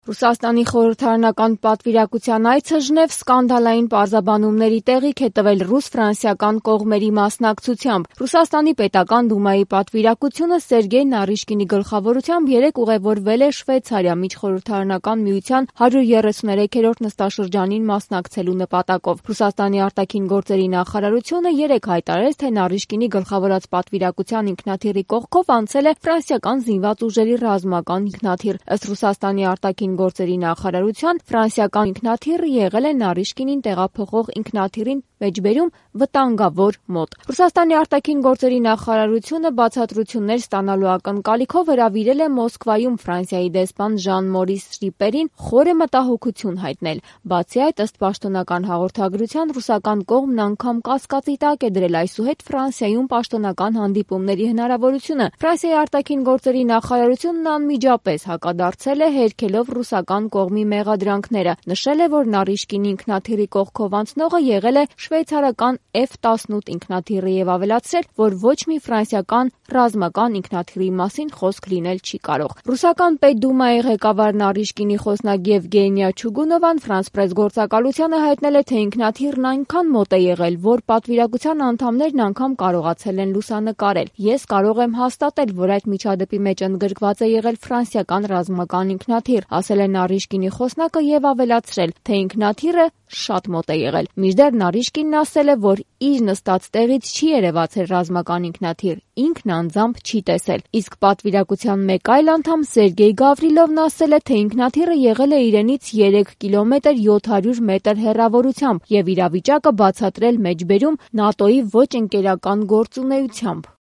Ռուսաստանի խորհրդարանական պատվիրակության այցը Ժնև սկանդալային պարզաբանումների տեղիք է տվել ռուս-ֆրանսիական կողմերի մասնակցությամբ։ Ռուսաստանի պետական դումայի պատվիրակությունը Սերգեյ Նարիշկինի գլխավորությամբ երեկ ուղևորվել է Շվեյցարիա միջխորհրդարանական միության 133-րդ նստաշրջանին մասնակցելու նպատակով։ Ռուսաստանի արտաքին գործերի նախարարությունը երեկ հայտարարեց, թե Նարիշկինի գլխավորած պատվիրակության ինքնաթիռի կողքով անցել է ֆրանսիական զինված ուժերի ռազմական ինքնաթիռ։ Ըստ Ռուսաստանի արտաքին գործերի նախարարության, ֆրանսիական ինքնաթիռը եղել է Նարիշկինին տեղափոխող ինքնաթիռին մեջբերում վտանգավոր մոտ։ Ռուսաստանի արտաքին գործերի նախարարությունը բացատրություններ ստանալու ակնկալիքով հրավիրել է Մոսկվայում Ֆրանսիայի դեսպան Ժան-Մորիս Շրիպերին խորը մտահոգություն հայտնել։ Բացի այդ, ըստ պաշտոնական հաղորդագրության, ռուսական կողմն անգամ կասկածի տակ է դրել այսուհետ Ֆրանսիայում պաշտոնական հանդիպումների հնարավորությունը։ Ֆրանսիայի արտաքին գործերի նախարարությունն անմիջապես հակադարձել է, հերքելով ռուսական կողմի մեղադրանքները։ Նշել է, որ Նարիշկինի ինքնաթիռի կողքով անցնողը եղել է շվեյցարական F-18 ինքնաթիռը եւ ավելացրել, որ ոչ մի ֆրանսիական ռազմական ինքնաթիռի մասին խոսք լինել չի կարող։ Ռուսական Պետդումայի ղեկավար Նարիշկինի խոսնակ Եվգենիա Չուգունովան France Press գործակալությանը հայտնել է, թե ինքնաթիռն այնքան մոտ է եղել, որ պատվիրակության անդամներն անգամ կարողացել են լուսանկարել։ Ես կարող եմ հաստատել, որ այդ միջադեպի մեջ ընդգրկված է եղել ֆրանսիական ռազմական ինքնաթիռ, ասել է Նարիշկինի խոսնակը եւ ավելացրել, թե ինքնաթիռը շատ մոտ է եղել։ Մինչդեռ Նարիշկինն ասել է, որ իր նստած տեղից չի երևացել ռազմական ինքնաթիռ, ինքն անձամբ չի տեսել։ Իսկ պատվիրակության մեկ այլ անդամ Սերգեյ Գավրիլովն ասել է, թե ինքնաթիռը եղել է իրենից 3 կիլոմետր 700 մետր հեռավորությամբ եւ իրավիճակը բացատրել մեջբերում ՆԱՏՕ-ի ոչ ընկերական գործունեությամբ։